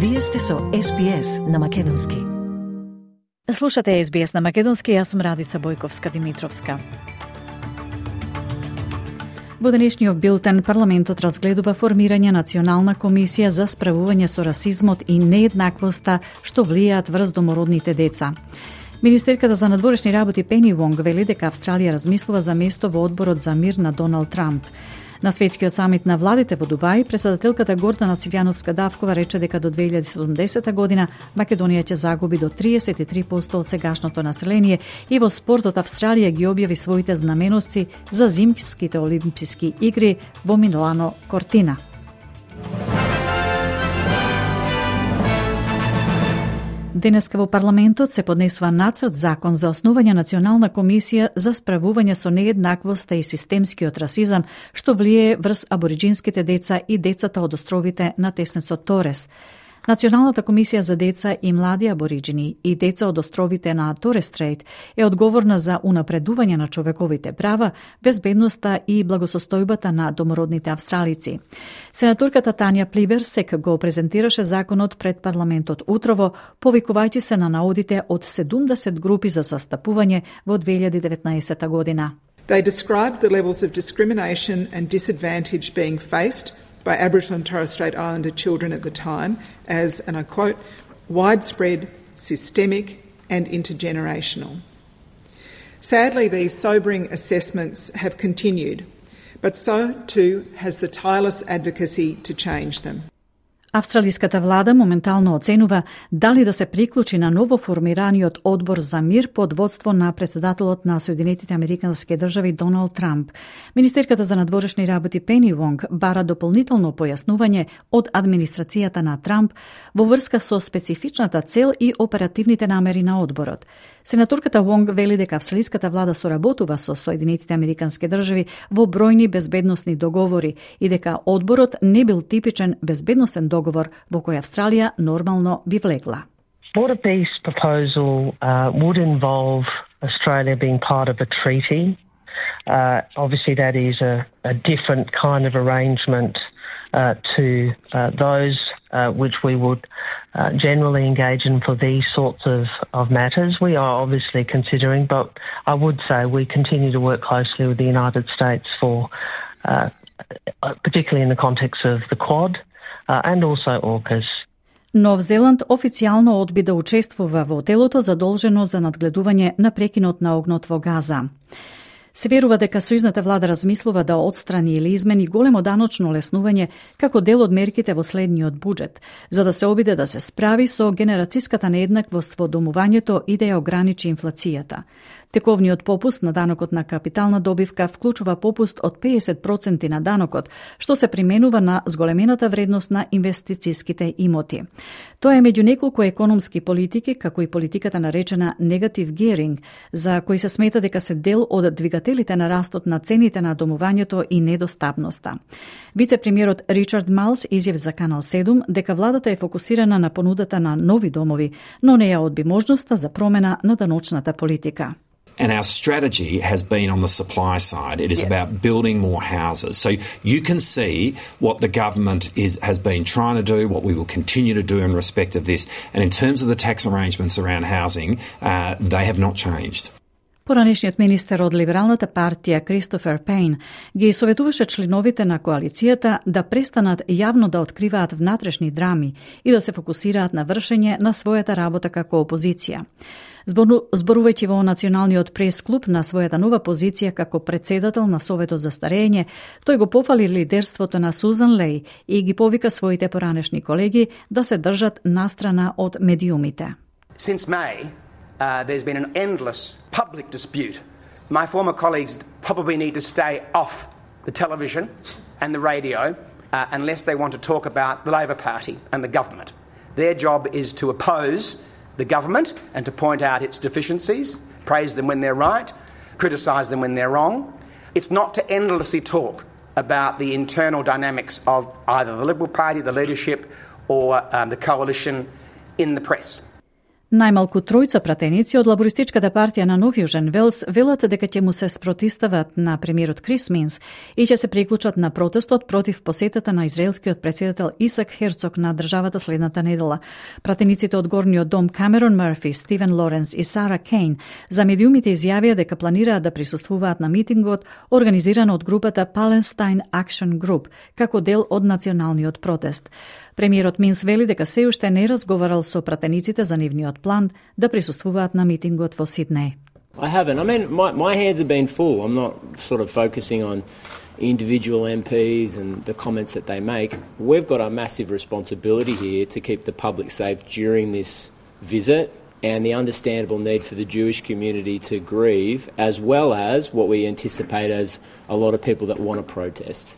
Вие сте со SBS на македонски. Слушате SBS на македонски, јас сум Радица Бојковска-Димитровска. Во денешниот билтен парламентот разгледува формирање национална комисија за справување со расизмот и нееднаквоста што влијаат врз домородните деца. Министерката за надворешни работи Пени Вонг вели дека Австралија размислува за место во одборот за мир на Доналд Трамп. На светскиот самит на владите во Дубај, председателката Гордана Силјановска-Давкова рече дека до 2070 година Македонија ќе загуби до 33% од сегашното население и во спортот Австралија ги објави своите знаменосци за зимските олимписки игри во Милано Кортина. Денеска во парламентот се поднесува нацрт закон за основање национална комисија за справување со нееднаквоста и системскиот расизам што влијае врз абориџинските деца и децата од островите на теснецот Торес. Националната комисија за деца и млади абориџини и деца од островите на Торес Стрейт е одговорна за унапредување на човековите права, безбедноста и благосостојбата на домородните австралици. Сенаторката Тања Плиберсек го презентираше законот пред парламентот утрово, повикувајќи се на наодите од 70 групи за састапување во 2019 година. They described the levels of discrimination and disadvantage being faced by Aboriginal and Torres Strait Islander children at the time as, and I quote, widespread, systemic and intergenerational. Sadly, these sobering assessments have continued, but so too has the tireless advocacy to change them. Австралиската влада моментално оценува дали да се приклучи на ново формираниот одбор за мир под водство на председателот на Соединетите Американски држави Доналд Трамп. Министерката за надворешни работи Пени Вонг бара дополнително појаснување од администрацијата на Трамп во врска со специфичната цел и оперативните намери на одборот. Сенаторката Вонг вели дека австралиската влада соработува со Соединетите Американски држави во бројни безбедносни договори и дека одборот не бил типичен безбедносен договор во кој Австралија нормално би влегла. Border peace proposal would involve Australia being part of a treaty. Obviously that is a different kind of arrangement to those which we would generally engage in for these sorts of matters. We are obviously considering, but I would say we continue to work closely with the United States for, particularly in the context of the Quad and also AUKUS. Нов Зеланд официјално одби да учествува во телото задолжено за надгледување на прекинот на огнот во Газа. Се верува дека сојузната влада размислува да отстрани или измени големо даночно олеснување како дел од мерките во следниот буџет, за да се обиде да се справи со генерацијската нееднаквост во домувањето и да ја ограничи инфлацијата. Тековниот попуст на данокот на капитална добивка вклучува попуст од 50% на данокот, што се применува на зголемената вредност на инвестицијските имоти. Тоа е меѓу неколку економски политики, како и политиката наречена негатив геринг, за кои се смета дека се дел од двигателите на растот на цените на домувањето и недостапноста. Вице-премиерот Ричард Малс изјави за Канал 7 дека владата е фокусирана на понудата на нови домови, но не ја одби можноста за промена на даночната политика. And our strategy has been on the supply side. It is about building more houses. So you can see what the government has been trying to do, what we will continue to do in respect of this. And in terms of the tax arrangements around housing, they have not changed. Поранешниот министер од либералната партија Кристофер Пейн ги советуваше членовите на коалицијата да престанат јавно да откриваат внатрешни драми и да се фокусираат на вршење на својата работа како опозиција. Зборувајќи во Националниот прес-клуб на својата нова позиција како председател на Советот за старење, тој го пофали лидерството на Сузан Леј и ги повика своите поранешни колеги да се држат настрана од медиумите. Since May, there's been an endless public dispute. My former colleagues probably need to stay off the television and the radio unless they want to talk about the Labor Party and the government. Their job is to oppose the government and to point out its deficiencies, praise them when they're right, criticise them when they're wrong. It's not to endlessly talk about the internal dynamics of either the Liberal Party, the leadership, or the coalition in the press. Најмалку тројца пратеници од лабористичката партија на Нов Јужен Велс велат дека ќе му се спротистават на премиерот Крис Минс и ќе се приклучат на протестот против посетата на израелскиот претседател Исак Херцог на државата следната недела. Пратениците од Горниот дом Камерон Мерфи, Стивен Лоренс и Сара Кейн за медиумите изјавија дека планираат да присуствуваат на митингот организиран од групата Palestine Action Group како дел од националниот протест. Премиерот Минс вели дека се уште не разговарал со пратениците за нивниот план да присуствуваат на митингот во Сиднеј. I haven't. I mean, my hands have been full. I'm not sort of focusing on individual MPs and the comments that they make. We've got a massive responsibility here to keep the public safe during this visit and the understandable need for the Jewish community to grieve, as well as what we anticipate as a lot of people that want to protest.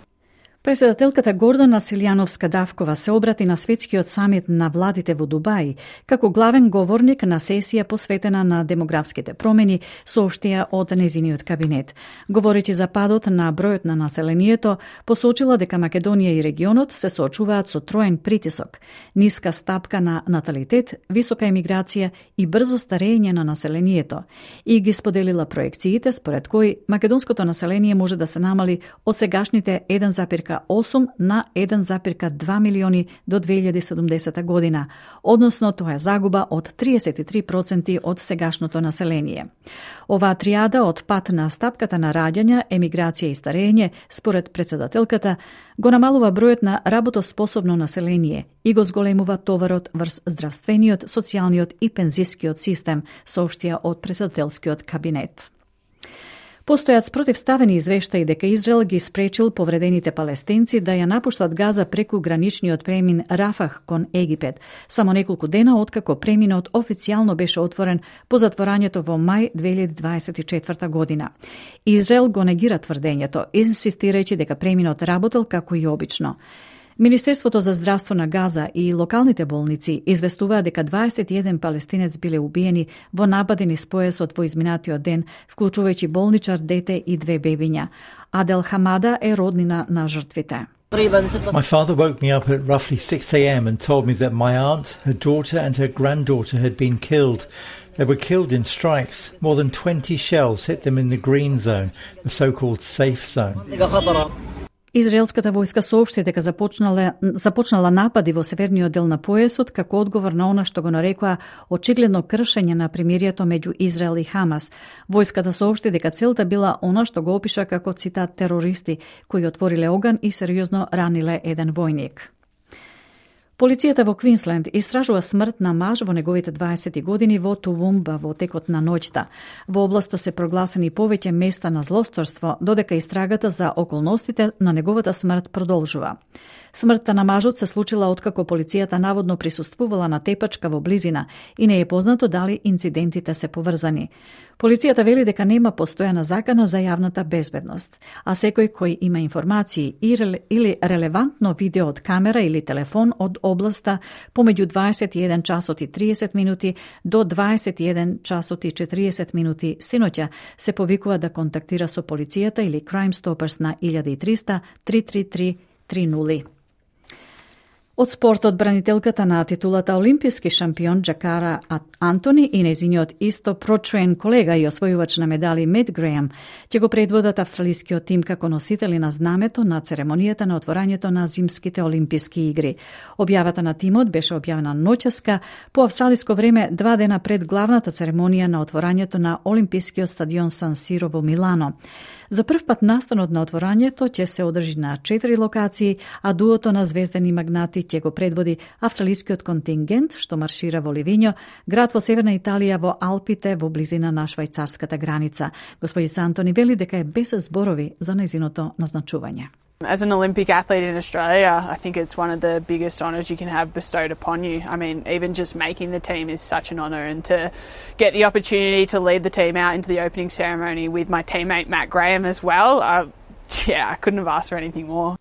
Председателката Гордана Силјановска-Давкова се обрати на светскиот самит на владите во Дубај како главен говорник на сесија посветена на демографските промени, соопштија од незиниот кабинет. Говорејќи за падот на бројот на населението, посочила дека Македонија и регионот се соочуваат со троен притисок: ниска стапка на наталитет, висока емиграција и брзо старење на населението. И ги споделила проекциите според кои македонското население може да се намали од сегашните 1,8 на 1,2 милиони до 2070 година, односно тоа е загуба од 33% од сегашното население. Оваа триада од пат на стапката на раѓања, емиграција и старење, според председателката, го намалува бројот на работоспособно население и го зголемува товарот врз здравствениот, социјалниот и пензискиот систем, соопштија од председателскиот кабинет. Постојат спротивставени извештаи дека Израел ги спречил повредените палестинци да ја напуштат Газа преку граничниот премин Рафах кон Египет, само неколку дена откако преминот официјално беше отворен по затворањето во мај 2024 година. Израел го негира тврдењето, инсистирајќи дека преминот работел како и обично. Министерството за здравство на Газа и локалните болници известуваа дека 21 палестинец биле убиени во напади низ појасот во изминатиот ден, вклучувајќи болничар, дете и 2 бебиња. Адел Хамада е роднина на жртвите. My father woke me up at roughly 6 a.m. and told me that my aunt, her daughter and her granddaughter had been killed. They were killed in strikes. More than 20 shells hit them in the green zone, the so-called safe zone. Израелската војска соопшти дека започнала напади во северниот дел на појасот како одговор на она што го нарекоа очигледно кршење на примирието меѓу Израел и Хамас. Војската соопшти дека целта била она што го опиша како цитат терористи кои отвориле оган и сериозно раниле еден војник. Полицијата во Квинсленд истражува смрт на маж во неговите 20 години во Тувумба во текот на ноќта. Во областа се прогласени повеќе места на злосторство, додека истрагата за околностите на неговата смрт продолжува. Смртта на мажот се случила откако полицијата наводно присуствувала на тепачка во близина и не е познато дали инцидентите се поврзани. Полицијата вели дека нема постојана закана за јавната безбедност, а секој кој има информации или релевантно видео од камера или телефон од областа помеѓу 21 часот и 30 минути до 21 часот и 40 минути синоќа се повикува да контактира со полицијата или Crime Stoppers на 1300 333 30. Од спортот, бранителката на титулата олимписки шампион Джакара Антони и незиниот исто прочуен колега и освојувач на медали Мед Грејам ќе го предводат австралискиот тим како носители на знамето на церемонијата на отворањето на зимските олимписки игри. Објавата на тимот беше објавена ноќеска по австралиско време 2 дена пред главната церемонија на отворањето на олимпискиот стадион Сан Сиро во Милано. За прв пат настанот на отворањето ќе се одржи на 4 локации, а дуото на звездени магнати ќе го предводи австралискиот контингент што маршира во Ливињо, град во северна Италија во Алпите во близина на швајцарската граница. Господица Антони вели дека е без зборови за незиното назначување. As an Olympic athlete in Australia, I think it's one of the biggest honours you can have bestowed upon you. I mean, even just making the team is such an honour, and to get the opportunity to lead the team out into the opening ceremony with my teammate Matt Graham as well, I couldn't have asked for anything more.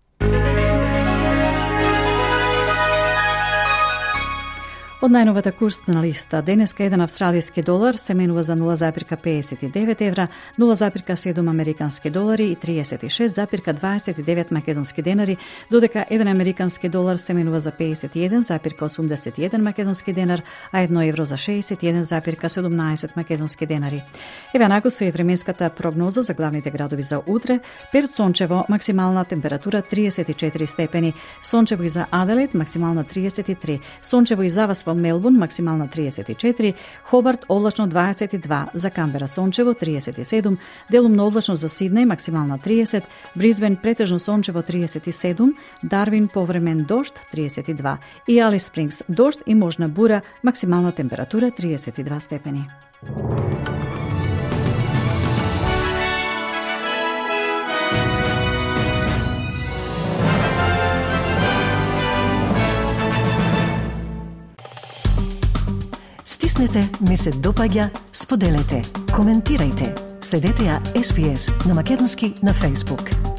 Од најновата курсна листа, денеска еден австралиски долар се менува за 0,59 евра, 0,7 американски долари и 36,29 македонски денари, додека еден американски долар се менува за 51,81 македонски денар, а 1 евро за 61,17 македонски денари. Еве нако со временската прогноза за главните градови за утре: Перт сончево, максимална температура 34 степени, сончево и за Аделаид, максимална 33, сончево и за вас во Мелбурн, максимална 34, Хобарт облачно 22, за Камбера сончево 37, делумно облачно за Сиднеј, максимална 30, Брисбен претежно сончево 37, Дарвин повремен дожд 32 и Алис Спрингс дожд и можна бура, максимална температура 32 степени. Стиснете, ми се допаѓа, споделете, коментирајте. Следете ја SPS на Македонски на Facebook.